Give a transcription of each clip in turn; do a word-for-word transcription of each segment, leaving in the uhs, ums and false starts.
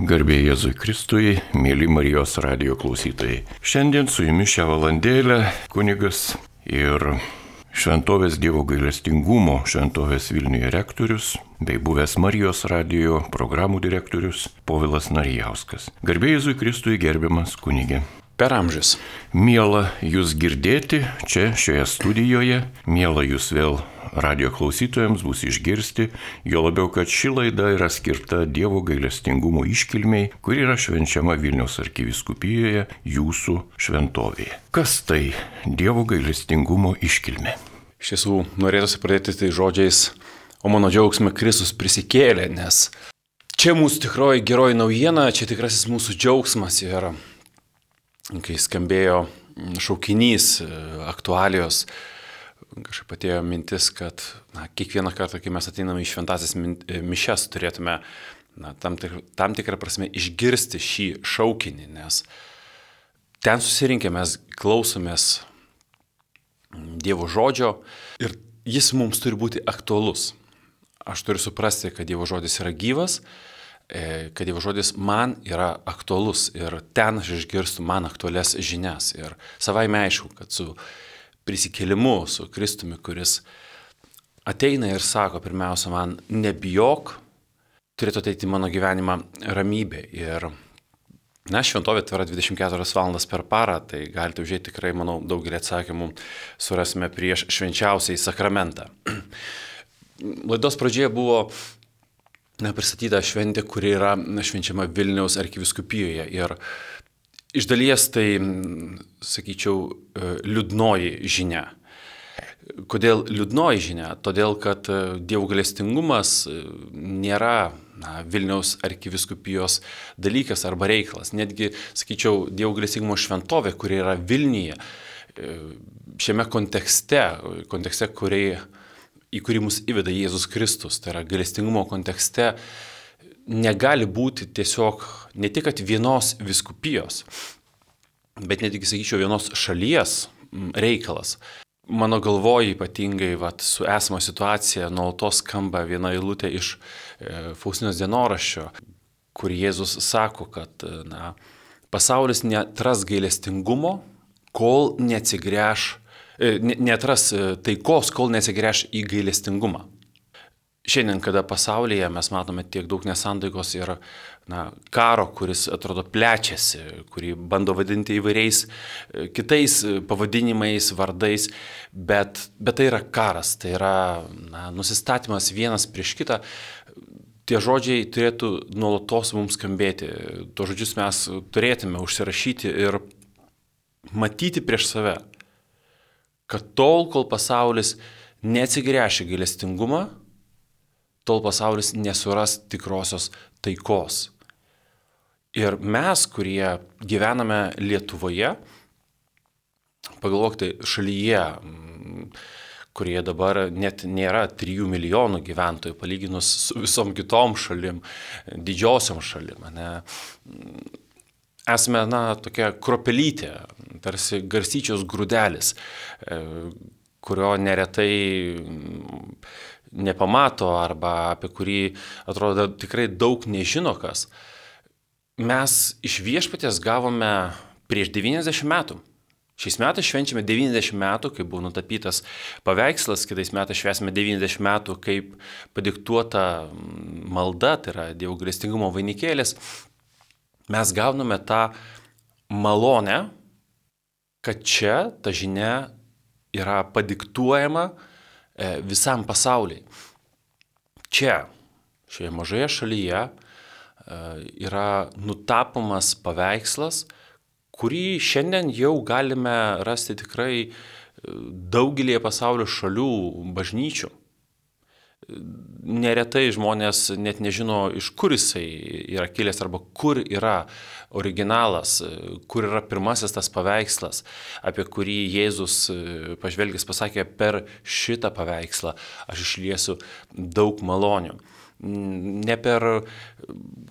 Garbė Jėzui Kristui, mėly Marijos radijo klausytojai. Šiandien su jumis šią valandėlę kunigas ir Šventovės Dievo gailestingumo Šventovės Vilniuje rektorius bei buvęs Marijos radijo programų direktorius Povilas Narijauskas. Garbė Jėzui Kristui, gerbiamas kunigė. Per amžius. Miela jūs girdėti čia šioje studijoje, miela jūs vėl radio klausytojams bus išgirsti, jo labiau, kad ši laida yra skirta Dievo gailestingumo iškilmei, kuri yra švenčiama Vilniaus arkivyskupijoje jūsų šventovėje. Kas tai Dievo gailestingumo iškilmė? Iš tiesų, norėtųsi pradėti tai žodžiais, o mano džiaugsme Kristus prisikėlė, nes čia mūsų tikroji geroji naujiena, čia tikrasis mūsų džiaugsmas ir kai skambėjo šaukinys, aktualijos, kažkaip atėjo mintis, kad na, kiekvieną kartą, kai mes ateiname į šventąsias mišias, turėtume na, tam, tik, tam tikrą prasme išgirsti šį šaukinį, nes ten susirinkę mes klausomės Dievo žodžio ir jis mums turi būti aktualus. Aš turiu suprasti, kad Dievo žodis yra gyvas, kad Dievo žodis man yra aktualus ir ten aš išgirstu man aktualias žinias. Ir savaime aišku, kad su prisikėlimu, su Kristumi, kuris ateina ir sako, pirmiausia, man nebijok, turėtų ateiti mano gyvenimą ramybė. Ir, na, šventovė tvera dvidešimt keturias valandas per parą, tai galite užėjti tikrai, manau, daugelį atsakymų surasime prieš švenčiausiai sakramentą. Laidos pradžioje buvo na, pristatyta šventė, kuri yra švenčiama Vilniaus arkivyskupijoje. Ir iš dalies tai, sakyčiau, liūdnoji žinia. Kodėl liūdnoji žinia? Todėl, kad Dievo gailestingumas nėra na, Vilniaus arkivyskupijos dalykas arba reikalas. Netgi, sakyčiau, Dievo gailestingumo šventovė, kuri yra Vilniuje, šiame kontekste, kontekste, kurį, į kurį mus įveda Jėzus Kristus, tai yra gailestingumo kontekste, negali būti tiesiog ne tik kad vienos vyskupijos, bet netgi, sakyčiau, vienos šalies reikalas. Mano galvoje ypatingai vat, su esama situacija nuolatos skamba viena eilutė iš e, Faustinos dienoraščio, kur Jėzus sako, kad na, pasaulis neatras gailestingumo, kol neatsigręš, e, neatras taikos, kol neatsigręš į gailestingumą. Šiandien, kada pasaulyje mes matome tiek daug nesantaikos ir na, karo, kuris atrodo plečiasi, kurį bando vadinti įvairiais kitais pavadinimais, vardais, bet, bet tai yra karas, tai yra na, nusistatymas vienas prieš kitą. Tie žodžiai turėtų nuolatos mums skambėti. Tuos žodžius mes turėtume užsirašyti ir matyti prieš save, kad tol, kol pasaulis neatsigręš į gailestingumą, tol pasaulis nesuras tikrosios taikos. Ir mes, kurie gyvename Lietuvoje, pagalvokite, šalyje, kurie dabar net nėra trijų milijonų gyventojų, palyginus su visom kitom šalim, didžiosiom šalim. Ne? Esame, na, tokia kropelytė, tarsi garstyčios grūdelis, kurio neretai nepamato arba apie kurį atrodo tikrai daug nežino kas. Mes iš Viešpaties gavome prieš devyniasdešimt metų. Šiais metais švenčiame devyniasdešimt metų, kai buvo nutapytas paveikslas, kitais metais švęsime devyniasdešimt metų, kaip padiktuota malda, tai yra Dievo gailestingumo vainikėlis. Mes gauname tą malonę, kad čia ta žinia yra padiktuojama visam pasauliui. Čia, šioje mažoje šalyje, yra nutapomas paveikslas, kurį šiandien jau galime rasti tikrai daugelį pasaulio šalių bažnyčių. Neretai žmonės net nežino, iš kur jisai yra kilęs arba kur yra originalas, kur yra pirmasis tas paveikslas, apie kurį Jėzus pažvelgęs pasakė, per šitą paveikslą aš išliesiu daug malonių. Ne per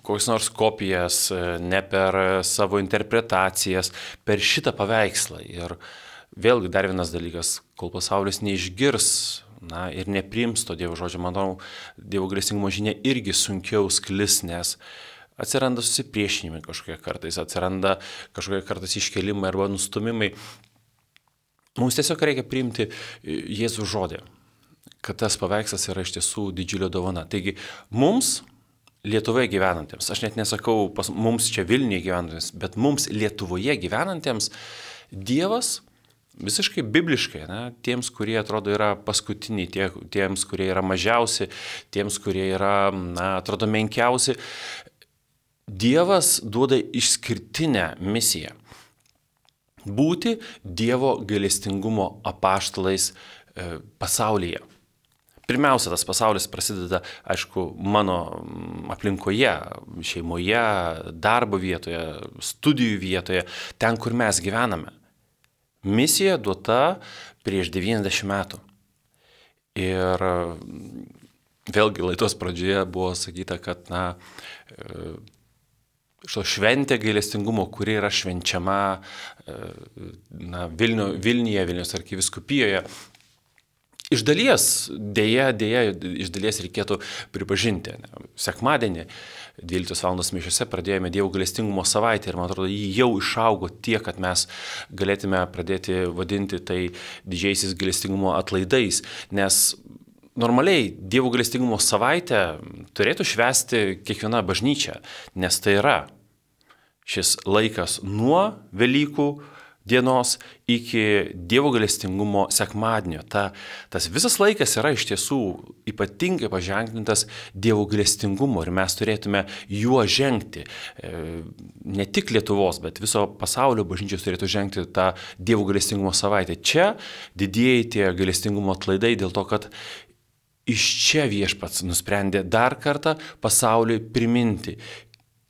kokias nors kopijas, ne per savo interpretacijas, per šitą paveikslą. Ir vėlgi dar vienas dalykas, kol pasaulis neišgirs na, ir nepriims to Dievo žodžio, manau, Dievo gailestingumo žinia irgi sunkiau sklis, nes atsiranda susipriešinimai kažkokie kartais, atsiranda kažkokie kartais iškelimai arba nustumimai. Mums tiesiog reikia priimti Jėzų žodį, kad tas paveikslas yra iš tiesų didžiulio dovana. Taigi mums, Lietuvoje gyvenantiems, aš net nesakau pas, mums čia Vilniuje gyvenantiems, bet mums Lietuvoje gyvenantiems Dievas visiškai bibliškai, ne, tiems, kurie atrodo yra paskutiniai, tie, tiems, kurie yra mažiausi, tiems, kurie yra, na, atrodo menkiausi, Dievas duoda išskirtinę misiją. Būti Dievo gailestingumo apaštalais e, pasaulyje. Pirmiausia, tas pasaulis prasideda, aišku, mano aplinkoje, šeimoje, darbo vietoje, studijų vietoje, ten, kur mes gyvename. Misija duota prieš devyniasdešimt metų. Ir vėlgi laidos pradžioje buvo sakyta, kad, na, šio šventė gailestingumo, kuri yra švenčiama na, Vilnių, Vilniuje, Vilniaus arkivyskupijoje. Iš dalies, dėja, dėja, iš dalies reikėtų pripažinti. Sekmadienį dvyliktos valandos mišiose pradėjome Dievo gailestingumo savaitę ir man atrodo, jį jau išaugo tiek, kad mes galėtume pradėti vadinti tai didžiaisiais gailestingumo atlaidais, nes normaliai Dievo gailestingumo savaitę turėtų švęsti kiekviena bažnyčia, nes tai yra šis laikas nuo Velykų dienos iki Dievo gailestingumo sekmadienio. Ta, tas visas laikas yra iš tiesų ypatingai paženklintas Dievo gailestingumo ir mes turėtume juo žengti. Ne tik Lietuvos, bet viso pasaulio bažnyčios turėtų žengti tą Dievo gailestingumo savaitę. Čia didieji tie gailestingumo atlaidai dėl to, kad iš čia Viešpats nusprendė dar kartą pasauliui priminti,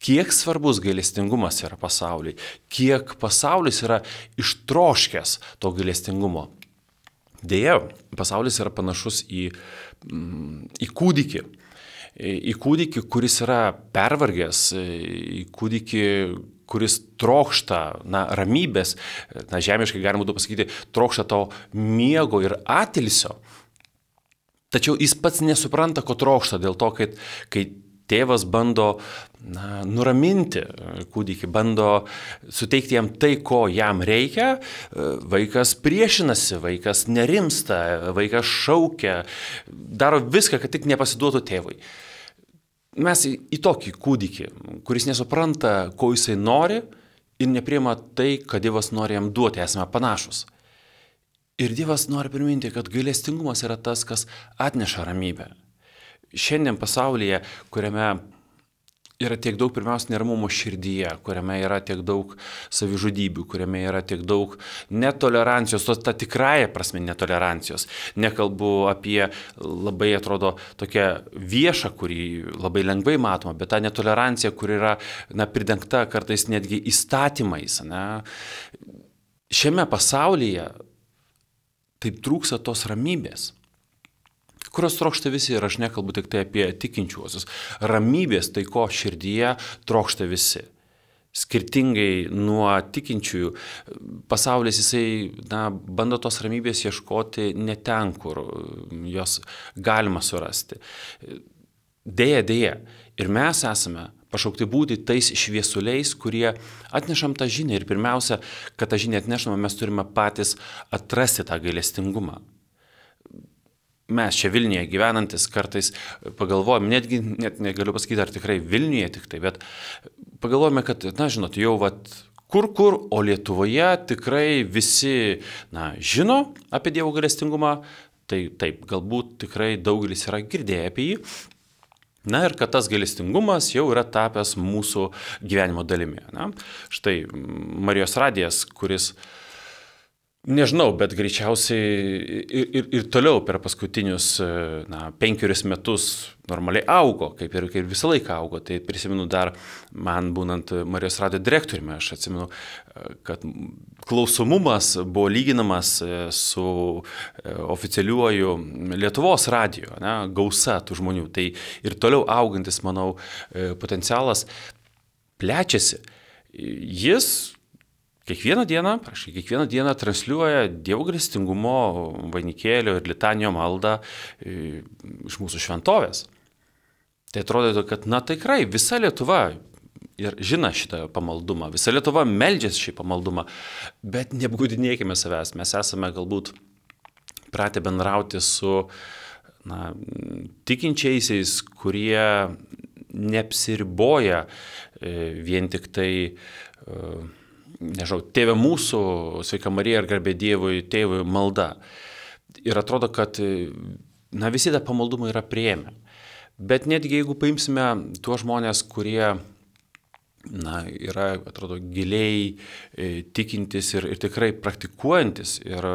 kiek svarbus gailestingumas yra pasauliui, kiek pasaulis yra ištroškęs to gailestingumo. Deja, pasaulis yra panašus į, į kūdikį, į kūdikį, kuris yra pervargęs, į kūdikį, kuris trokšta na, ramybės, na, žemiškai galima būtų pasakyti, trokšta to miego ir atilsio. Tačiau jis pats nesupranta, ko trokšta, dėl to, kad kai tėvas bando na, nuraminti kūdikį, bando suteikti jam tai, ko jam reikia, vaikas priešinasi, vaikas nerimsta, vaikas šaukia, daro viską, kad tik nepasiduotų tėvui. Mes į, į tokį kūdikį, kuris nesupranta, ko jisai nori ir nepriima tai, kad Dievas nori jam duoti, esame panašus. Ir Dievas nori priminti, kad gailestingumas yra tas, kas atneša ramybę. Šiandien pasaulyje, kuriame yra tiek daug pirmiausia neramumo širdyje, kuriame yra tiek daug savižudybių, kuriame yra tiek daug netolerancijos, tos ta tikrąja prasme netolerancijos. Nekalbu apie labai, atrodo, tokią viešą, kurį labai lengvai matoma, bet ta netolerancija, kur yra na, pridengta kartais netgi įstatymais. Na. Šiame pasaulyje taip trūksta tos ramybės, kurios trokšta visi, ir aš nekalbu tik tai apie tikinčiuosius. Ramybės taiko širdyje trokšta visi. Skirtingai nuo tikinčiųjų, pasaulis jisai na, bando tos ramybės ieškoti ne ten, kur jos galima surasti. Deja, deja. Ir mes esame pašaukti būti tais šviesuliais, kurie atnešam tą žinią. Ir pirmiausia, kad tą žinią atnešame, mes turime patys atrasti tą gailestingumą. Mes čia Vilniuje gyvenantis kartais pagalvojame, netgi net negaliu pasakyti, ar tikrai Vilniuje tik tai, bet pagalvojame, kad, na, žinot, jau vat, kur kur, o Lietuvoje tikrai visi, na, žino apie Dievo gailestingumą, tai taip, galbūt tikrai daugelis yra girdėję apie jį. Na ir kad tas gailestingumas jau yra tapęs mūsų gyvenimo dalimi. Na? Štai Marijos radijas, kuris nežinau, bet greičiausiai ir, ir, ir toliau per paskutinius na, penkerius metus normaliai augo, kaip ir, kaip ir visą laiką augo. Tai prisimenu dar man būnant Marijos radijo direktoriumi, aš atsimenu, kad klausomumas buvo lyginamas su oficialiuoju Lietuvos radiju, ne, gausa tų žmonių. Tai ir toliau augantis, manau, potencialas plečiasi. Jis Kiekvieną dieną, prašai, kiekvieną dieną transliuoja Dievo gailestingumo vainikėlio ir litanijo maldą iš mūsų šventovės. Tai atrodo, kad, na tikrai, visa Lietuva, ir žino šitą pamaldumą. Visa Lietuva meldžiasi šį pamaldumą, bet neapgaudinėkime savęs. Mes esame galbūt pratę bendrauti su na, tikinčiaisiais, kurie neapsiriboja vien tik tai, nežinau, tėve mūsų, sveika Marija ir garbė Dievui, tėvui malda. Ir atrodo, kad na, visi tą pamaldumą yra priėmę. Bet netgi jeigu paimsime tuos žmonės, kurie na, yra, atrodo, giliai e, tikintis ir, ir tikrai praktikuojantis ir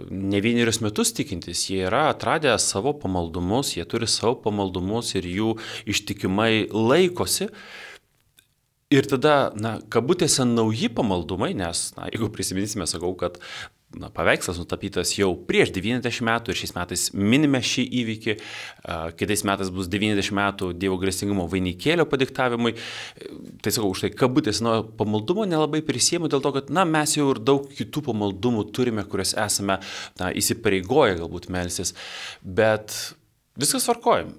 ne vienerius metus tikintis, jie yra atradę savo pamaldumus, jie turi savo pamaldumus ir jų ištikimai laikosi. Ir tada, na, kabutėse nauji pamaldumai, nes, na, jeigu prisiminsime, sakau, kad na, paveikslas nutapytas jau prieš devyniasdešimt metų ir šiais metais minime šį įvykį, kitais metais bus devyniasdešimt metų Dievo gailestingumo vainikėlio padiktavimui. Tai sakau, už tai kabutės nuo pamaldumo nelabai prisiemu dėl to, kad na, mes jau ir daug kitų pamaldumų turime, kurias esame na, įsipareigoję galbūt melstis, bet viskas tvarkoja.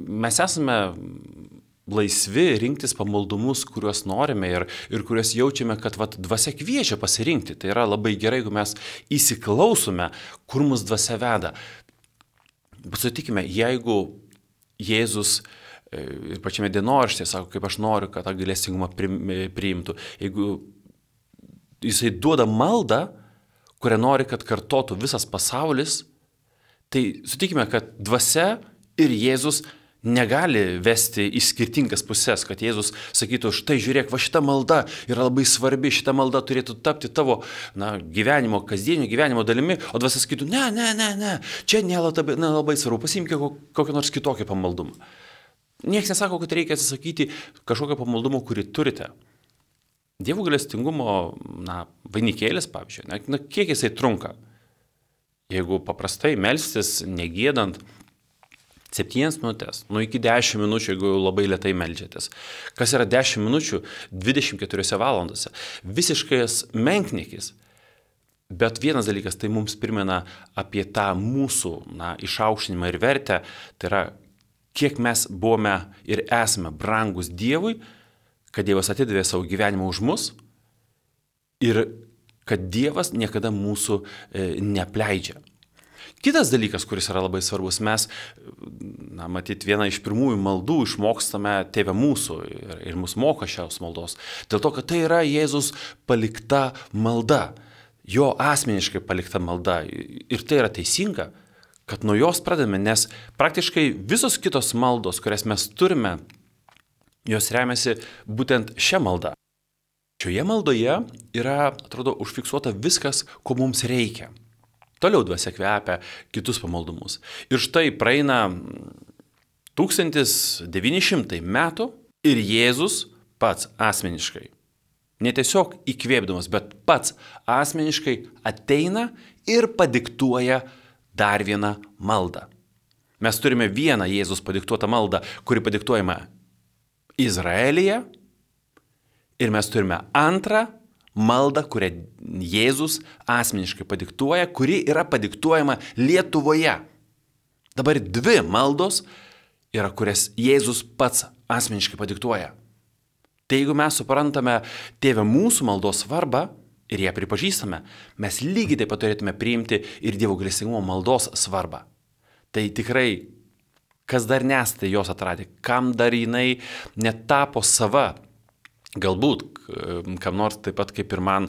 Mes esame laisvi rinktis pamaldumus, kuriuos norime ir, ir kuriuos jaučiame, kad vat, dvasia kviečia pasirinkti. Tai yra labai gerai, jeigu mes įsiklausome, kur mus dvasia veda. Bet sutikime, jeigu Jėzus ir pačiame dienoraštyje sako, kaip aš noriu, kad tą gailestingumą priimtų, jeigu jisai duoda maldą, kurią nori, kad kartotų visas pasaulis, tai sutikime, kad dvasia ir Jėzus negali vesti į skirtingas pusės, kad Jėzus sakytų, štai žiūrėk, va šita malda yra labai svarbi, šita malda turėtų tapti tavo na, gyvenimo, kasdienio gyvenimo dalimi, o dvasia sakytų, ne, ne, ne, ne, čia nelabai, nelabai svarbu, pasiimk kokią nors kitokią pamaldumą. Niekas nesako, kad reikia atsisakyti kažkokio pamaldumo, kurį turite. Dievo gailestingumo na, vainikėlis, pavyzdžiui, na, na, kiek jisai trunka? Jeigu paprastai melstis, negėdant, septynias minutės, nu iki dešimt minučių, jeigu labai lėtai meldžiatės. Kas yra dešimt minučių dvidešimt keturiose valandose? Visiškas menkniekis. Bet vienas dalykas, tai mums primena apie tą mūsų na, išaukštinimą ir vertę, tai yra, kiek mes buvome ir esame brangus Dievui, kad Dievas atidavė savo gyvenimą už mus ir kad Dievas niekada mūsų e, neapleidžia. Kitas dalykas, kuris yra labai svarbus, mes, na, matyt, vieną iš pirmųjų maldų išmokstame Tėve mūsų ir, ir mus moka šios maldos. Dėl to, kad tai yra Jėzus palikta malda, jo asmeniškai palikta malda. Ir tai yra teisinga, kad nuo jos pradedame, nes praktiškai visos kitos maldos, kurias mes turime, jos remiasi būtent šią maldą. Šioje maldoje yra, atrodo, užfiksuota viskas, ko mums reikia. Toliau dvasia kvepia kitus pamaldumus. Ir štai praeina tūkstantis devyni šimtai metų ir Jėzus pats asmeniškai, ne tiesiog įkvėpdamas, bet pats asmeniškai ateina ir padiktuoja dar vieną maldą. Mes turime vieną Jėzus padiktuotą maldą, kuri padiktuojama Izraelyje, ir mes turime antrą maldą, kurią Jėzus asmeniškai padiktuoja, kuri yra padiktuojama Lietuvoje. Dabar dvi maldos yra, kurias Jėzus pats asmeniškai padiktuoja. Tai jeigu mes suprantame Tėve mūsų maldos svarbą ir ją pripažįstame, mes lygiai taip pat turėtume priimti ir Dievo gailestingumo maldos svarbą. Tai tikrai, kas dar nesate jos atradę, kam dar jinai netapo sava, galbūt, kam nors taip pat kaip ir man,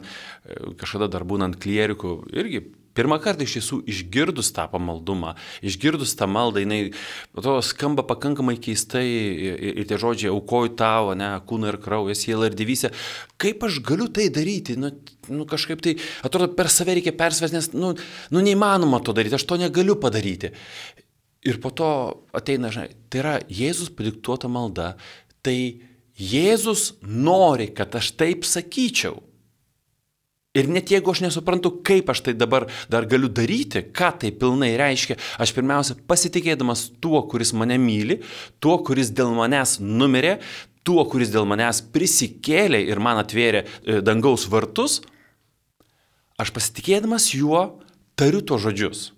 kažkada dar būnant klierikų, irgi pirmą kartą iš tiesų išgirdus tą pamaldumą, išgirdus tą maldą, jinai to skamba pakankamai keistai ir, ir tie žodžiai aukoju tavo, ne, kūną ir kraują, sielą ir dievystę. Kaip aš galiu tai daryti? Nu, nu kažkaip tai, atrodo, per save reikia persvers, nes nu, nu neįmanoma to daryti, aš to negaliu padaryti. Ir po to ateina, žinai, tai yra Jėzus padiktuota malda, tai Jėzus nori, kad aš taip sakyčiau. Ir net jeigu aš nesuprantu, kaip aš tai dabar dar galiu daryti, ką tai pilnai reiškia, aš pirmiausia pasitikėdamas tuo, kuris mane myli, tuo, kuris dėl manęs numirė, tuo, kuris dėl manęs prisikėlė ir man atvėrė dangaus vartus, aš pasitikėdamas juo tariu to žodžius.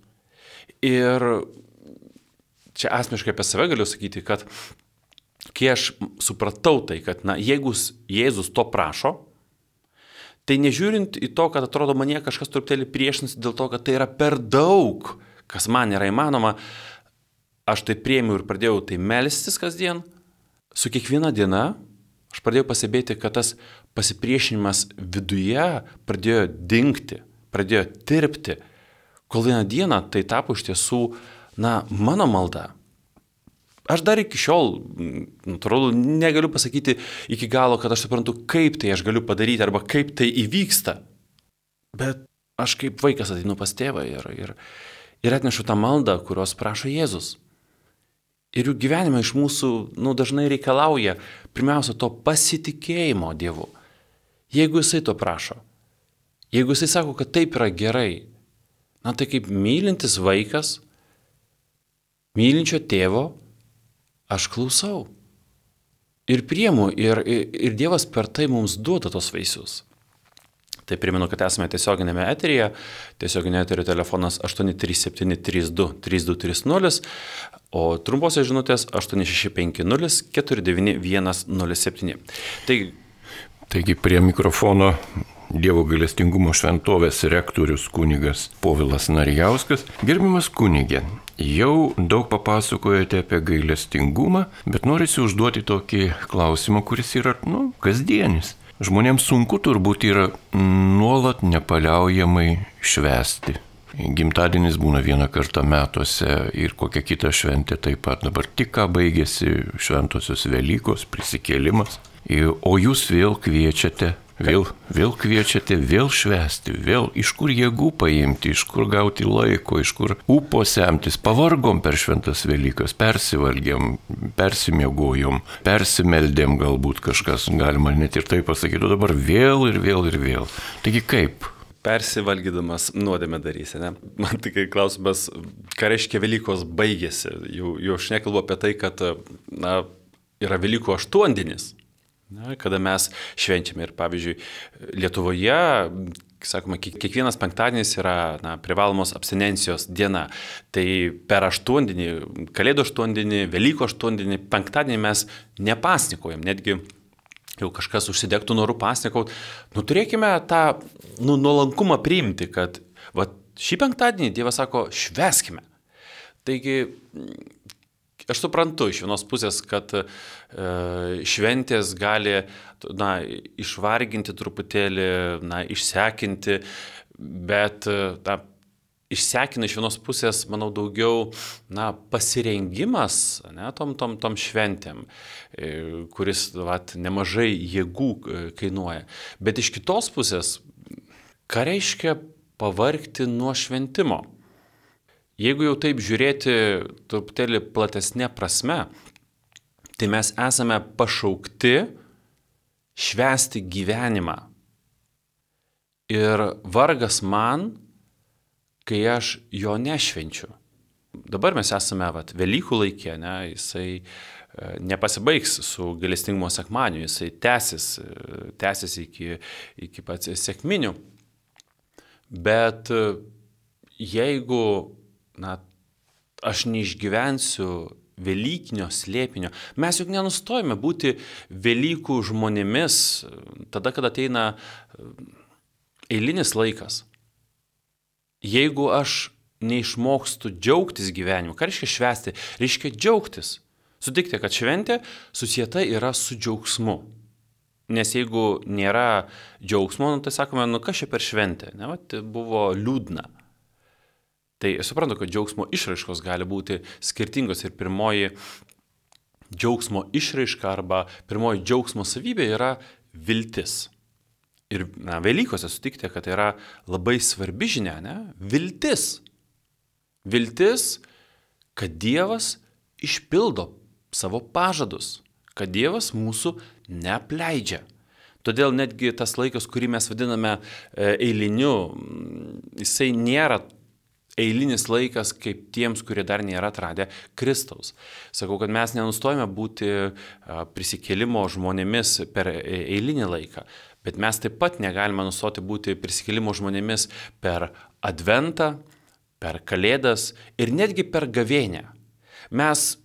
Ir čia asmeniškai apie save galiu sakyti, kad kai aš supratau tai, kad, na, jeigu Jėzus to prašo, tai nežiūrint į to, kad atrodo manie kažkas truputėlį priešinasi dėl to, kad tai yra per daug, kas man yra įmanoma, aš tai priėmiau ir pradėjau tai melstis kasdien. Su kiekviena diena aš pradėjau pasibėti, kad tas pasipriešinimas viduje pradėjo dingti, pradėjo tirpti, kol vieną dieną tai tapo iš tiesų, na, mano malda. Aš dar iki šiol, natūralu, negaliu pasakyti iki galo, kad aš suprantu, kaip tai aš galiu padaryti arba kaip tai įvyksta. Bet aš kaip vaikas ateinu pas tėvą ir, ir, ir atnešu tą maldą, kurios prašo Jėzus. Ir jų gyvenime iš mūsų, nu, dažnai reikalauja pirmiausia to pasitikėjimo Dievu. Jeigu jisai to prašo, jeigu jisai sako, kad taip yra gerai, na tai kaip mylintis vaikas, mylinčio tėvo, aš klausau ir priimu ir, ir, ir Dievas per tai mums duoda tos vaisius. Tai primenu, kad esame tiesioginėme eteryje, tiesioginio eterio telefonas aštuoni trys septyni trys du trys du trys nulis, o trumposios žinutės aštuoni šeši penki nulis keturi devyni vienas nulis septyni. Taigi, Taigi prie mikrofono Dievo gailestingumo šventovės rektorius kunigas Povilas Narijauskas. Gerbiamas kunige, jau daug papasakojote apie gailestingumą, bet norisi užduoti tokį klausimą, kuris yra, nu, kasdienis. Žmonėms sunku turbūt yra nuolat nepaliaujamai švęsti. Gimtadienis būna vieną kartą metuose ir kokia kita šventė taip pat. Dabar tik ką baigėsi šventosios Velykos, prisikėlimas. O jūs vėl kviečiate, vėl, vėl kviečiate, vėl švęsti, vėl iš kur jėgų paimti, iš kur gauti laiko, iš kur ūpo semtis. Pavargom per šventas Velykas, persivalgėm, persimiegojom, persimeldėm galbūt kažkas, galima net ir tai pasakyti, o dabar vėl ir vėl ir vėl. Taigi kaip? Persivalgydamas nuodėmę darysi, ne? Man tik klausimas, ką reiškia Velykos baigėsi. Jau, jau aš nekalbu apie tai, kad, na, yra Velykų aštuondienis. Na, kada mes švenčiame ir, pavyzdžiui, Lietuvoje, sakoma, kiekvienas penktadienis yra, na, privalomos abstinencijos diena. Tai per aštuondienį, Kalėdų aštuondienį, Velykų aštuondienį, penktadienį mes nepasnikojam, netgi jau kažkas užsidegtų norų pasnikaut. Nu, turėkime tą, nu, nuolankumą priimti, kad va, šį penktadienį Dievas sako, švęskime. Taigi, aš suprantu iš vienos pusės, kad e, šventės gali, na, išvarginti truputėlį, na, išsekinti, bet, na, išsekina iš vienos pusės, manau, daugiau, na, pasirengimas, ne, tom, tom, tom šventėm, e, kuris, vat, nemažai jėgų kainuoja. Bet iš kitos pusės, ką reiškia pavargti nuo šventimo? Jeigu jau taip žiūrėti truputėlį platesnė prasme, tai mes esame pašaukti švęsti gyvenimą. Ir vargas man, kai aš jo nešvenčiu. Dabar mes esame, vat, Velykų laikė, ne, jisai nepasibaigs su gailestingumo sekmadieniu, jisai tęsis, tęsis iki, iki pats sekminių. Bet jeigu, na, aš neišgyvensiu Velykinio slėpinio. Mes juk nenustojame būti Velykų žmonėmis tada, kada ateina eilinis laikas. Jeigu aš neišmokstu džiaugtis gyvenimu, ką reiškia švęsti? Reiškia džiaugtis. Sutikti, kad šventė susieta yra su džiaugsmu. Nes jeigu nėra džiaugsmo, nu, tai sakome, nu kas čia per šventę? Ne, va, tai buvo liūdna. Tai suprantu, kad džiaugsmo išraiškos gali būti skirtingos ir pirmoji džiaugsmo išraiška arba pirmoji džiaugsmo savybė yra viltis. Ir, na, Velykose sutikite, kad tai yra labai svarbi žinia, ne? Viltis. Viltis, kad Dievas išpildo savo pažadus, kad Dievas mūsų neapleidžia. Todėl netgi tas laikas, kurį mes vadiname eiliniu, jisai nėra eilinis laikas kaip tiems, kurie dar nėra atradę Kristaus. Sakau, kad mes nenustojame būti prisikėlimo žmonėmis per eilinį laiką, bet mes taip pat negalime nustoti būti prisikėlimo žmonėmis per Adventą, per Kalėdas ir netgi per gavėnią. Mes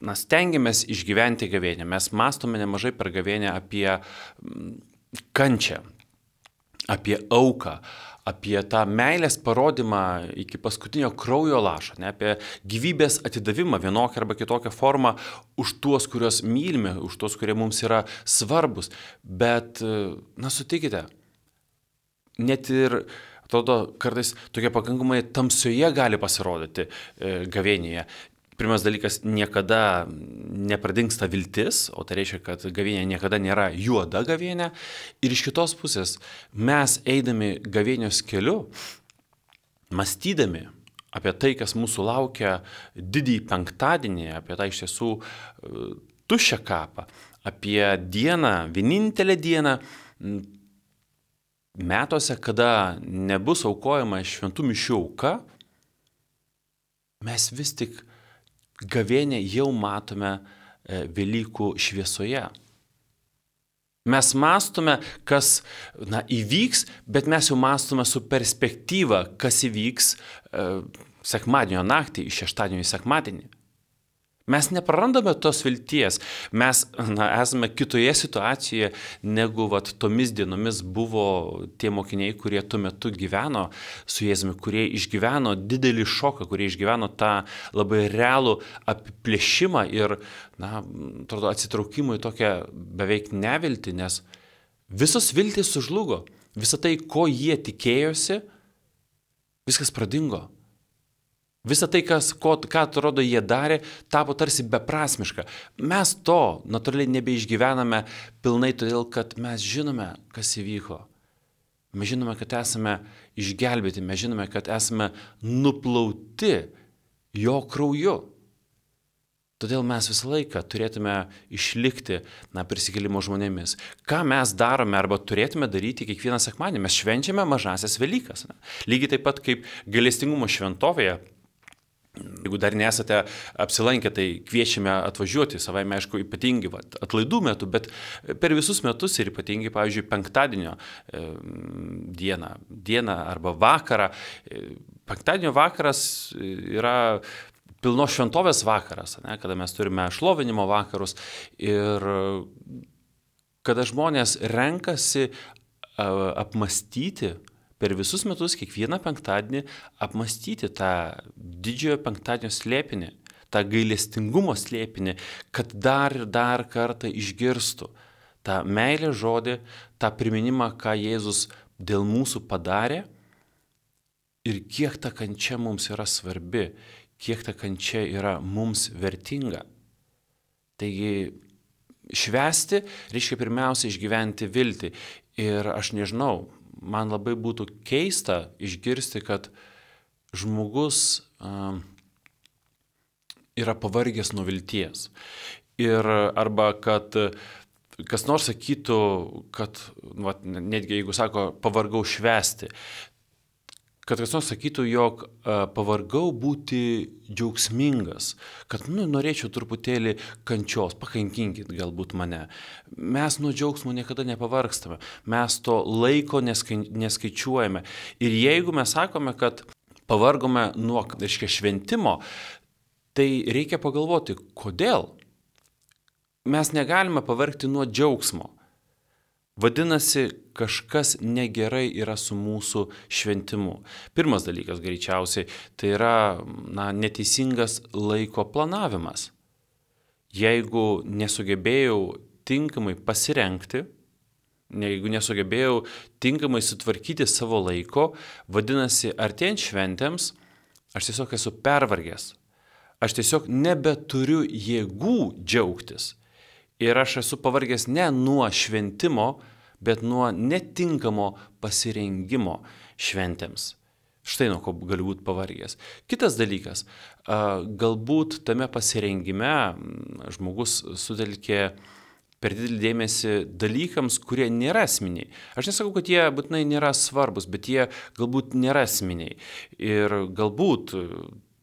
na, stengiamės išgyventi gavėnią. Mes mąstome nemažai per gavėnią apie kančią, apie auką, apie tą meilės parodymą iki paskutinio kraujo lašo, ne, apie gyvybės atidavimą vienokią arba kitokią formą už tuos, kuriuos mylime, už tuos, kurie mums yra svarbus. Bet, na, sutikite, net ir, atrodo, kartais tokia pakankamai tamsioje gali pasirodyti e, gavėnėje. Pirmas dalykas, niekada nepradingsta viltis, o tai reiškia, kad gavėnė niekada nėra juoda gavėnė. Ir iš kitos pusės, mes eidami gavėnios keliu, mąstydami apie tai, kas mūsų laukia didįjį penktadienį, apie tą iš tiesų tuščią kapą, apie dieną, vienintelę dieną metuose, kada nebus aukojama šventų mišių auka, mes vis tik gavėnę jau matome Velykų šviesoje. Mes mąstome, kas, na, įvyks, bet mes jau mąstome su perspektyva, kas įvyks e, sekmadienio naktį, iš šeštadienio į sekmadienį. Mes neprarandame tos vilties, mes, na, esame kitoje situacijoje, negu vat, tomis dienomis buvo tie mokiniai, kurie tuo metu gyveno su Jėzumi, kurie išgyveno didelį šoką, kurie išgyveno tą labai realų apiplėšimą ir, na, atrodo, atsitraukimą į tokią beveik neviltį, nes visos viltys sužlugo, visa tai, ko jie tikėjosi, viskas pradingo. Visa tai, kas, ko, ką atrodo jie darė, tapo tarsi beprasmiška. Mes to natūraliai nebeišgyvename pilnai, todėl kad mes žinome, kas įvyko. Mes žinome, kad esame išgelbėti, mes žinome, kad esame nuplauti jo krauju. Todėl mes visą laiką turėtume išlikti, na, prisikėlimo žmonėmis. Ką mes darome arba turėtume daryti kiekvieną sekmadienį? Mes švenčiame mažasias Velykas. Ne? Lygiai taip pat kaip gailestingumo šventovėje. Jeigu dar nesate apsilankę, tai kviečiame atvažiuoti, savaime aišku, ypatingai va, atlaidų metu, bet per visus metus ir ypatingai, pavyzdžiui, penktadienio e, dieną, dieną arba vakarą. E, penktadienio vakaras yra pilnos šventovės vakaras, ne, kada mes turime šlovinimo vakarus ir kada žmonės renkasi a, apmastyti per visus metus, kiekvieną penktadienį, apmastyti tą didžiojo penktadienio slėpinį, tą gailestingumo slėpinį, kad dar ir dar kartą išgirstų tą meilės žodį, tą priminimą, ką Jėzus dėl mūsų padarė ir kiek ta kančia mums yra svarbi, kiek ta kančia yra mums vertinga. Taigi, švęsti reiškia pirmiausia išgyventi viltį. Ir aš nežinau, man labai būtų keista išgirsti, kad žmogus uh, yra pavargęs nuo vilties. Ir arba kad kas nors sakytų, kad, va, netgi jeigu sako, pavargau švęsti, kad kas nors sakytų, jog uh, pavargau būti džiaugsmingas, kad, nu, norėčiau truputėlį kančios, pakankinkit galbūt mane. Mes nuo džiaugsmo niekada nepavargstame, mes to laiko neskai, neskaičiuojame. Ir jeigu mes sakome, kad pavargome nuo, reiškia, šventimo, tai reikia pagalvoti, kodėl. Mes negalime pavargti nuo džiaugsmo. Vadinasi, kažkas negerai yra su mūsų šventimu. Pirmas dalykas greičiausiai, tai yra, na, neteisingas laiko planavimas. Jeigu nesugebėjau tinkamai pasirengti, jeigu nesugebėjau tinkamai sutvarkyti savo laiko, vadinasi, artėjant šventėms, aš tiesiog esu pervargęs. Aš tiesiog nebeturiu jėgų džiaugtis. Ir aš esu pavargęs ne nuo šventimo, bet nuo netinkamo pasirengimo šventėms. Štai nuo ko galiu būti pavargęs. Kitas dalykas, galbūt tame pasirengime žmogus sutelkė per didelį dėmesį dalykams, kurie nėra esminiai. Aš nesakau, kad jie būtinai nėra svarbus, bet jie galbūt nėra esminiai. Ir galbūt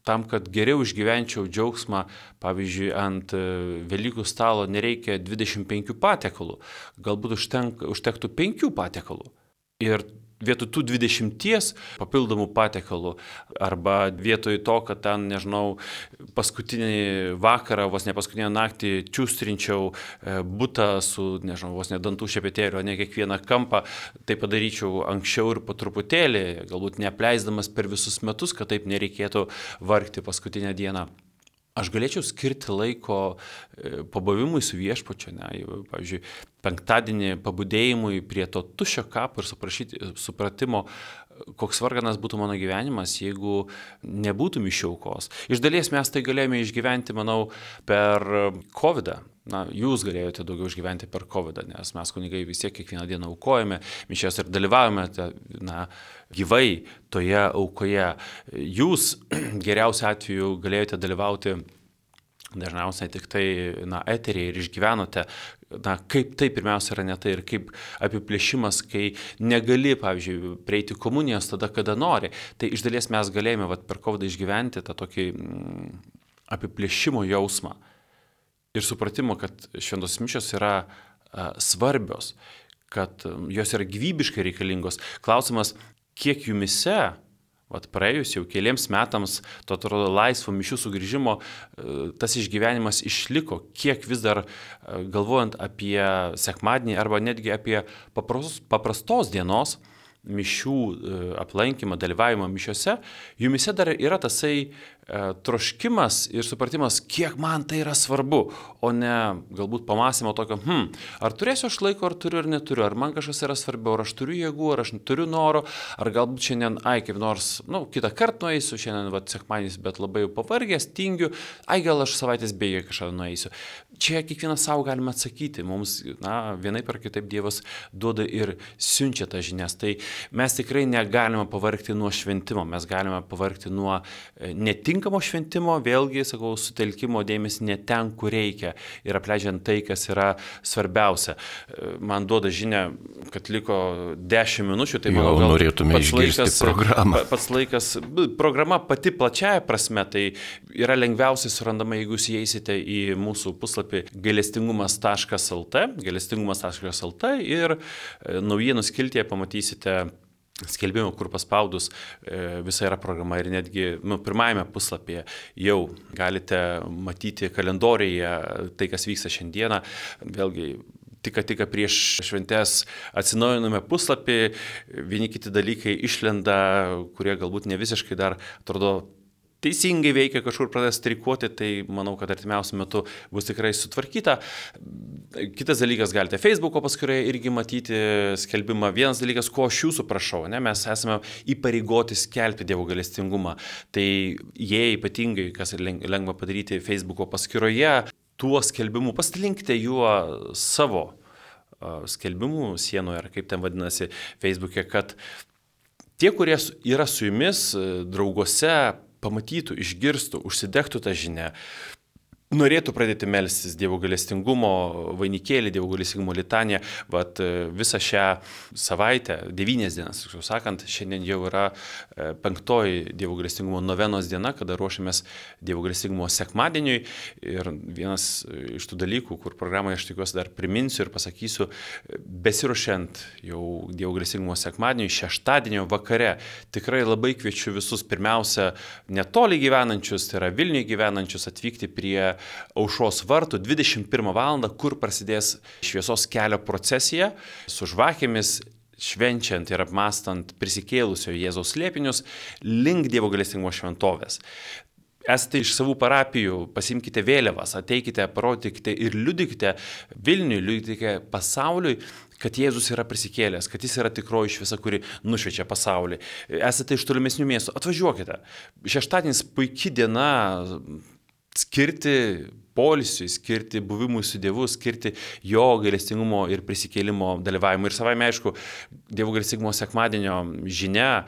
tam, kad geriau išgyvenčiau džiaugsmą, pavyzdžiui, ant Velykų stalo nereikia dvidešimt penkių patiekalų, galbūt užtenk, užtektų penkių patiekalų. Ir vietoj tų dvidešimties papildomų patiekalų arba vietoj to, kad ten, nežinau, paskutinį vakarą, vos ne paskutinę naktį čiūstrinčiau butą su, nežinau, vos ne dantų šepetėliu, ne kiekvieną kampą, tai padaryčiau anksčiau ir po truputėlį, galbūt neapleisdamas per visus metus, kad taip nereikėtų vargti paskutinę dieną. Aš galėčiau skirti laiko pabuvimui su viešpačiu, ne, pavyzdžiui, penktadienį pabudėjimui prie to tuščio kapo ir supratimo, koks varganas būtų mano gyvenimas, jeigu nebūtų mišių aukos. Iš dalies mes tai galėjome išgyventi, manau, per kovidą. Na, jūs galėjote daugiau išgyventi per kovidą, nes mes kunigai vis tiek kiekvieną dieną aukojame, mišias ir dalyvavome na, gyvai toje aukoje. Jūs geriausiu atveju galėjote dalyvauti dažniausiai tik tai na, eterėje ir išgyvenote, na, kaip tai pirmiausia yra ne tai ir kaip apiplėšimas, kai negali, pavyzdžiui, prieiti komunijos tada, kada nori. Tai iš dalies mes galėjome vat, per kovidą išgyventi tą tokį mm, apiplėšimo jausmą. Ir supratimo, kad šventos mišios yra a, svarbios, kad a, jos yra gyvybiškai reikalingos. Klausimas, kiek jumise, vat praėjus jau keliems metams, to atrodo laisvo mišių sugrįžimo, a, tas išgyvenimas išliko, kiek vis dar a, galvojant apie sekmadienį arba netgi apie paprastos, paprastos dienos mišių a, aplankymą, dalyvavimą mišiose, jumise dar yra tasai troškimas ir supratimas, kiek man tai yra svarbu, o ne galbūt pamąstymo tokio, hm, ar turėsiu aš laiko, ar turiu, ar neturiu, ar man kažkas yra svarbiau, ar aš turiu jėgų, ar aš turiu noro, ar galbūt šiandien, ai, kaip nors, na, nu, kitą kartą nueisiu, šiandien, va, sekmadienis, bet labai jau pavargęs, tingiu, ai, gal aš savaitės bėgiai kažką nueisiu. Čia kiekvienas savo galime atsakyti, mums, na, vienaip ar kitaip Dievas duoda ir siunčia tą žinias, tai mes tikrai negalime pavargti nuo šventimo, mes galime pavargti nuo netinkamo šventimo, vėlgi, sakau, sutelkimo dėmesį ne ten, kur reikia ir apleidžiant tai, kas yra svarbiausia. Man duoda žinia, kad liko dešimt minučių, tai manau, gal norėtume išgirsti laikas, programą. Pats laikas, programa pati plačiaja prasme, tai yra lengviausiai surandama, jeigu jūs įeisite į mūsų puslapį gailestingumas taškas lt, gailestingumas taškas lt ir naujienų skiltyje pamatysite skelbimą, kur paspaudus e, visa yra programa ir netgi nu, pirmajame puslapyje jau galite matyti kalendorijoje tai, kas vyksta šiandieną. Vėlgi, tik tik prieš šventes atsinaujiname puslapį, vieni kiti dalykai išlenda, kurie galbūt ne visiškai dar atrodo teisingai veikia, kažkur pradės streikuoti, tai manau, kad artimiausiu metu bus tikrai sutvarkyta. Kitas dalykas, galite Facebooko paskyroje irgi matyti skelbimą. Vienas dalykas, ko aš jūsų prašau, ne, mes esame įpareigoti skelbti Dievo gailestingumą. Tai jei ypatingai, kas lengva padaryti Facebooko paskyroje, tuo skelbimu pasidalinkite juo savo skelbimų sienoje, ar kaip ten vadinasi Facebook'e, kad tie, kurie yra su jumis drauguose, pamatytų, išgirstų, užsidegtų tą žinią, norėtų pradėti melstis Dievo gailestingumo vainikėlį, Dievo gailestingumo litaniją. Vat visą šią savaitę, devynias dienas, tiksliau sakant, šiandien jau yra penktoji Dievo gailestingumo novenos diena, kada ruošiamės Dievo gailestingumo sekmadieniui. Ir vienas iš tų dalykų, kur programoje aš tikiuosi dar priminsiu ir pasakysiu, besiruošiant jau Dievo gailestingumo sekmadieniui, šeštadienio vakare, tikrai labai kviečiu visus pirmiausia netoli gyvenančius, tai yra Vilniuje gyvenančius, atvykti prie Aušros vartų dvidešimt pirmą valandą, kur prasidės šviesos kelio procesija su žvakėmis, švenčiant ir apmastant prisikėlusio Jėzaus slėpinius link Dievo gailestingumo šventovės. Esate iš savų parapijų, pasimkite vėliavas, ateikite, parodykite ir liudykite Vilniui, liudykite pasauliui, kad Jėzus yra prisikėlęs, kad jis yra tikroji šviesa, kuri nušviečia pasaulį. Esate iš tolimesnių miestų, atvažiuokite. Šeštadienis puikia diena skirti poilsiui, skirti buvimui su Dievu, skirti jo gailestingumo ir prisikėlimo dalyvavimui. Ir savaime aišku, Dievo gailestingumo sekmadienio žinia,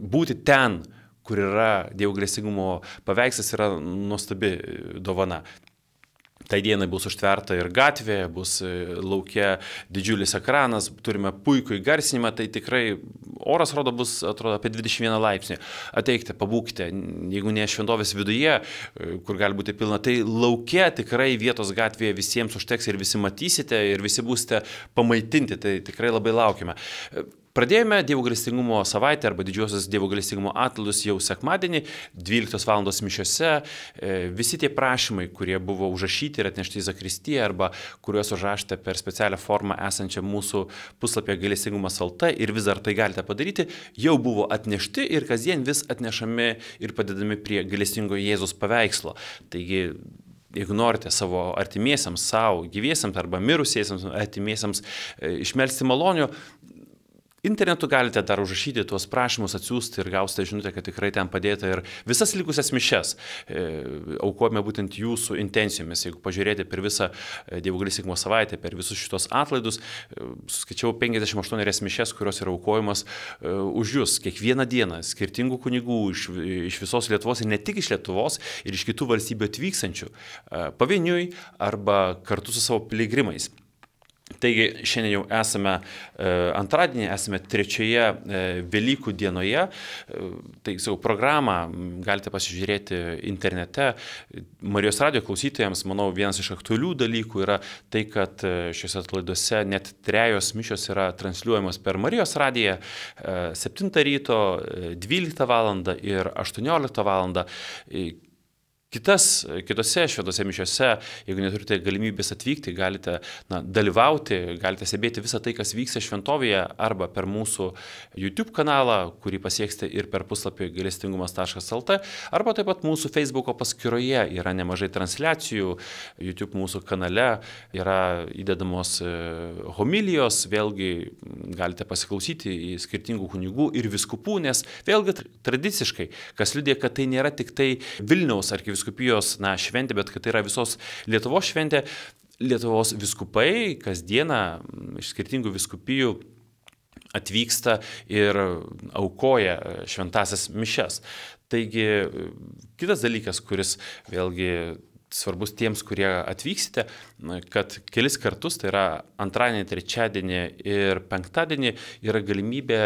būti ten, kur yra Dievo gailestingumo paveikslas, yra nuostabi dovana. Tai dienai bus užtverta ir gatvė, bus laukia didžiulis ekranas, turime puikų įgarsinimą, tai tikrai oras rodo bus, atrodo, apie dvidešimt vieną laipsnį. Ateikite, pabūkite, jeigu ne šventovės viduje, kur gali būti pilna, tai laukia tikrai vietos gatvėje visiems užteks ir visi matysite ir visi būsite pamaitinti, tai tikrai labai laukime. Pradėjome Dievo gailestingumo savaitę arba didžiosios Dievo gailestingumo atlaidus jau sekmadienį, dvyliktos valandos mišiose. Visi tie prašymai, kurie buvo užrašyti ir atnešti į zakristiją arba kuriuos užrašėte per specialią formą esančią mūsų puslapyje gailestingumas taškas lt ir vis dar tai galite padaryti, jau buvo atnešti ir kasdien vis atnešami ir padedami prie gailestingo Jėzaus paveikslo. Taigi, jeigu norite savo artimiesiams, savo gyviesiams arba mirusiesiams artimiesiams išmelsti malonių, internetu galite dar užrašyti tuos prašymus, atsiųsti ir gausite žinutę, kad tikrai ten padėta ir visas likusias mišes e, aukojame būtent jūsų intencijomis. Jeigu pažiūrėti per visą Dievo gailestingumo savaitę, per visus šitos atlaidus, e, suskaičiau penkiasdešimt aštuonias mišes, kurios yra aukojamos e, už jūs kiekvieną dieną, skirtingų kunigų iš, iš visos Lietuvos ir ne tik iš Lietuvos, ir iš kitų valstybių atvykstančių, e, pavieniui arba kartu su savo piligrimais. Taigi šiandien jau esame e, antradienį, esame trečioje e, Velykų dienoje. E, tai savo programą galite pasižiūrėti internete. Marijos radijo klausytojams, manau, vienas iš aktualių dalykų yra tai, kad šiuose atlaiduose net trejos mišios yra transliuojamos per Marijos radiją e, septintą ryto, dvyliktą valandą ir aštuonioliktą valandą. E, Kitas, kitose šventose mišiose, jeigu neturite galimybės atvykti, galite na, dalyvauti, galite stebėti visą tai, kas vyksta šventovėje, arba per mūsų YouTube kanalą, kurį pasieksite ir per puslapį gailestingumas taškas lt, arba taip pat mūsų Facebooko paskyroje yra nemažai transliacijų, YouTube mūsų kanale yra įdedamos homilijos, vėlgi galite pasiklausyti į skirtingų kunigų ir viskupų, nes vėlgi tradiciškai, kas liudija, kad tai nėra tik tai Vilniaus arkivyskupijos viskupijos na, šventė, bet kad tai yra visos Lietuvos šventė. Lietuvos viskupai kasdieną iš skirtingų viskupijų atvyksta ir aukoja šventasias mišes. Taigi, kitas dalykas, kuris vėlgi svarbus tiems, kurie atvyksite, kad kelis kartus, tai yra antradienį, trečiadienį ir penktadienį, yra galimybė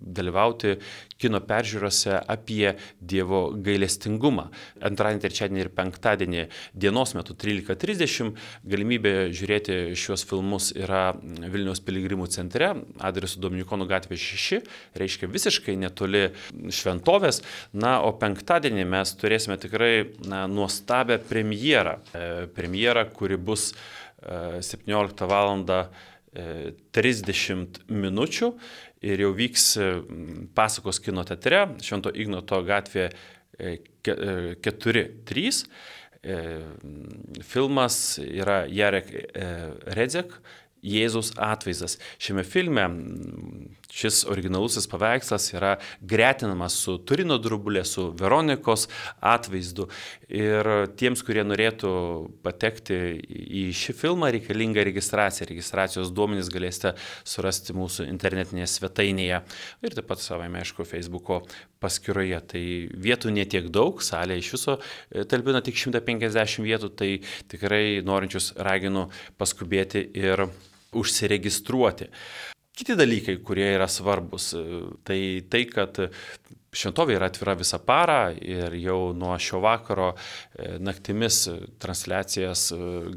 dalyvauti kino peržiūrose apie Dievo gailestingumą. Antradienį, trečiadienį ir penktadienį dienos metu trylika trisdešimt galimybė žiūrėti šios filmus yra Vilniaus piligrimų centre, adresu Dominikonų gatvė šeši, reiškia visiškai netoli šventovės. Na, o penktadienį mes turėsime tikrai na, nuostabę premjerą. E, premjerą, kuri bus e, septynioliktą valandą trisdešimt minučių ir jau vyks Pasakos kino teatre, Švento Ignoto gatvė keturi trys. Filmas yra Jarek Redzek, Jėzaus atvaizdas. Šiame filme šis originalusis paveikslas yra gretinamas su Turino drobulė, su Veronikos atvaizdu. Ir tiems, kurie norėtų patekti į šį filmą, reikalinga registracija. Registracijos duomenys galėsite surasti mūsų internetinėje svetainėje ir taip pat savame, aišku, Facebooko paskyroje. Tai vietų netiek daug, salė iš viso talpina tik šimtą penkiasdešimt vietų, tai tikrai norinčius raginu paskubėti ir užsiregistruoti. Kiti dalykai, kurie yra svarbus, tai tai, kad šventovė yra atvira visą parą ir jau nuo šio vakaro naktimis transliacijas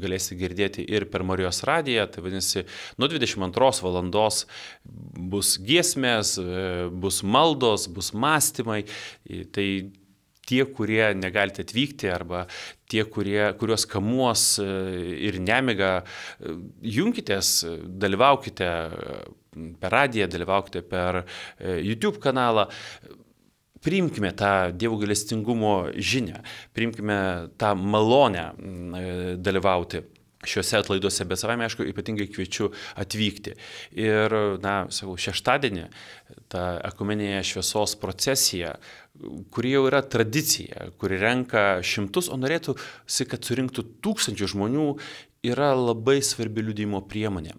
galėsite girdėti ir per Marijos radiją, tai vadinasi, nuo dvidešimt antros valandos bus giesmės, bus maldos, bus mąstymai, tai tie, kurie negalite atvykti arba tie, kurie, kuriuos kamuos ir nemiga, junkitės, dalyvaukite per radiją, dalyvaukite per YouTube kanalą. Priimkime tą Dievo gailestingumo žinią, priimkime tą malonę dalyvauti šiuose atlaiduose, bet savame, aišku, ypatingai kviečiu atvykti. Ir, na, sakau, šeštadienį ta ekumeninė šviesos procesija, kuri jau yra tradicija, kuri renka šimtus, o norėtųsi, kad surinktų tūkstančių žmonių, yra labai svarbi liudijimo priemonė.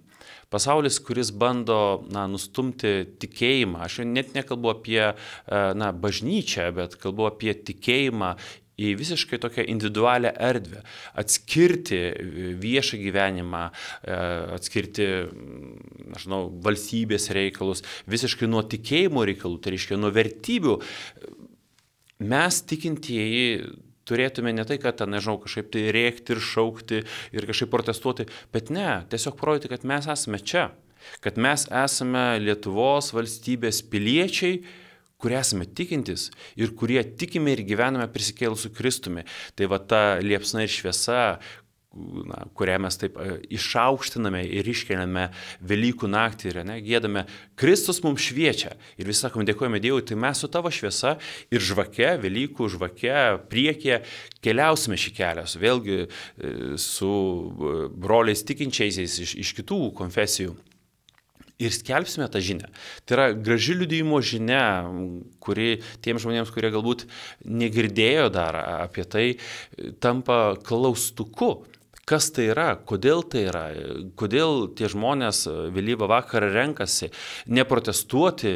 Pasaulis, kuris bando na, nustumti tikėjimą, aš net nekalbu apie na, bažnyčią, bet kalbu apie tikėjimą į visiškai tokią individualią erdvę, atskirti viešą gyvenimą, atskirti, nežinau, valstybės reikalus, visiškai nuo tikėjimo reikalų, tai reiškia nuo vertybių. Mes tikintieji turėtume ne tai, kad, nežinau, kažkaip tai rėkti ir šaukti ir kažkaip protestuoti, bet ne, tiesiog parodyti, kad mes esame čia. kad mes esame Lietuvos valstybės piliečiai, kurie esame tikintis ir kurie tikime ir gyvename prisikėlusiu Kristumi. Tai va ta liepsna ir šviesa, na, kurią mes taip išaukštiname ir iškeliame Velykų naktį ir ne, gėdame, Kristus mums šviečia. Ir vis sakom, dėkojame Dievui, tai mes su tavo šviesa ir žvake, Velykų žvake, priekyje keliausime šį kelią, vėlgi su broliais tikinčiaisiais iš, iš kitų konfesijų. Ir skelbsime tą žinią. Tai yra graži liudijimo žinia, kuri tiems žmonėms, kurie galbūt negirdėjo dar apie tai, tampa klaustuku. Kas tai yra, kodėl tai yra, kodėl tie žmonės vėlyvą vakarą renkasi neprotestuoti,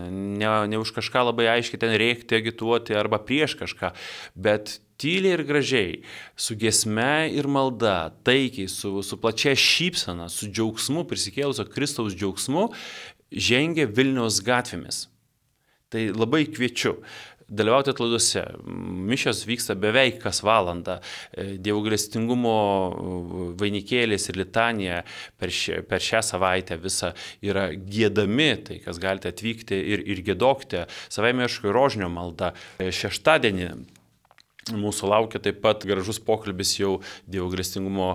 ne, ne už kažką labai aiškiai ten rėkti, agituoti arba prieš kažką, bet tyliai ir gražiai, su giesme ir malda, taikiai, su, su plačia šypsena, su džiaugsmu, prisikėlusio Kristaus džiaugsmu, žengia Vilniaus gatvėmis. Tai labai kviečiu dalyvauti atlaiduose. Mišios vyksta beveik kas valandą. Dievo gailestingumo vainikėlis ir litanija per, šia, per šią savaitę visą yra giedami, tai kas galite atvykti ir, ir giedokite. Savaime aišku rožinio malda. Šeštadienį mūsų laukia taip pat gražus pokalbis jau Dievo gailestingumo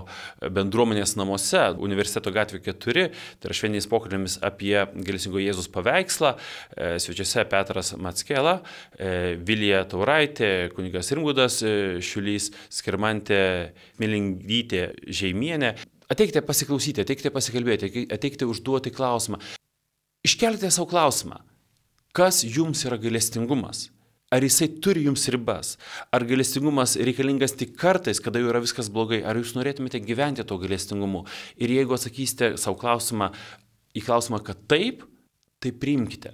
bendruomenės namuose, Universiteto gatvė keturi, tai yra šventiniais pokalbėmis apie gailestingo Jėzus paveikslą, svečiuose Petras Mackela, Vilija Tauraitė, kunigas Rimgaudas Šiulys, Skirmantė Milingdytė Žeimienė. Ateikite pasiklausyti, ateikite pasikalbėti, ateikite užduoti klausimą. Iškelkite savo klausimą, kas jums yra gailestingumas? Ar jisai turi jums ribas? Ar gailestingumas reikalingas tik kartais, kada jau yra viskas blogai? Ar jūs norėtumėte gyventi to gailestingumu? Ir jeigu atsakysite savo klausimą į klausimą, kad taip, tai priimkite.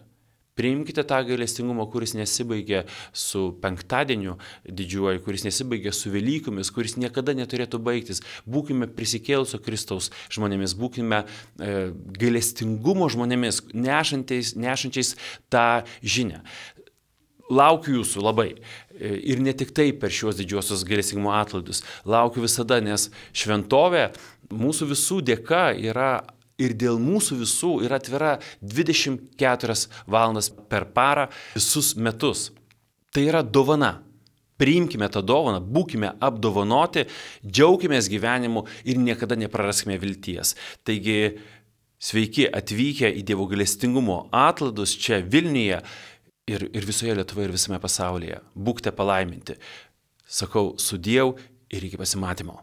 Priimkite tą gailestingumą, kuris nesibaigia su penktadieniu didžiuoju, kuris nesibaigia su Velykomis, kuris niekada neturėtų baigtis. Būkime prisikėlusio Kristaus žmonėmis, būkime e, gailestingumo žmonėmis, nešančiais, nešančiais tą žinią. Laukiu jūsų labai. Ir ne tik tai per šios didžiosios gailestingumo atlaidus. Laukiu visada, nes šventovė mūsų visų dėka yra ir dėl mūsų visų yra atvira dvidešimt keturias valandas per parą visus metus. Tai yra dovana. Priimkime tą dovaną, būkime apdovanoti, džiaukimės gyvenimu ir niekada nepraraskime vilties. Taigi, sveiki atvykę į Dievo gailestingumo atlaidus čia Vilniuje. Ir, ir visoje Lietuvoje ir visame pasaulyje. Būkite palaiminti. Sakau sudiev ir iki pasimatymo.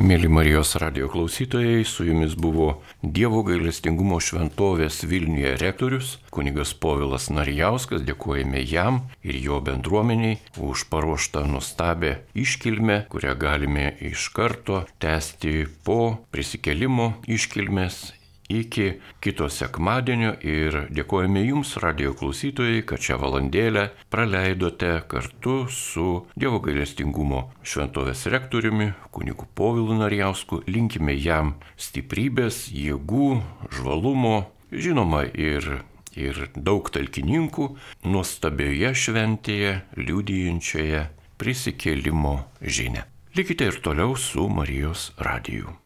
Mėly Marijos radijo klausytojai, su jumis buvo Dievo gailestingumo šventovės Vilniuje rektorius, kunigas Povilas Narijauskas. Dėkojame jam ir jo bendruomeniai už paruoštą nuostabę iškilmę, kurią galime iš karto tęsti po prisikėlimo iškilmės iki kito sekmadienio ir dėkojame jums, radijo klausytojai, kad šią valandėlę praleidote kartu su Dievo gailestingumo šventovės rektoriumi, kunigu Povilu Narijausku. Linkime jam stiprybės, jėgų, žvalumo, žinoma ir, ir daug talkininkų nuostabioje šventėje, liudijančioje prisikėlimo žinią. Likite ir toliau su Marijos radiju.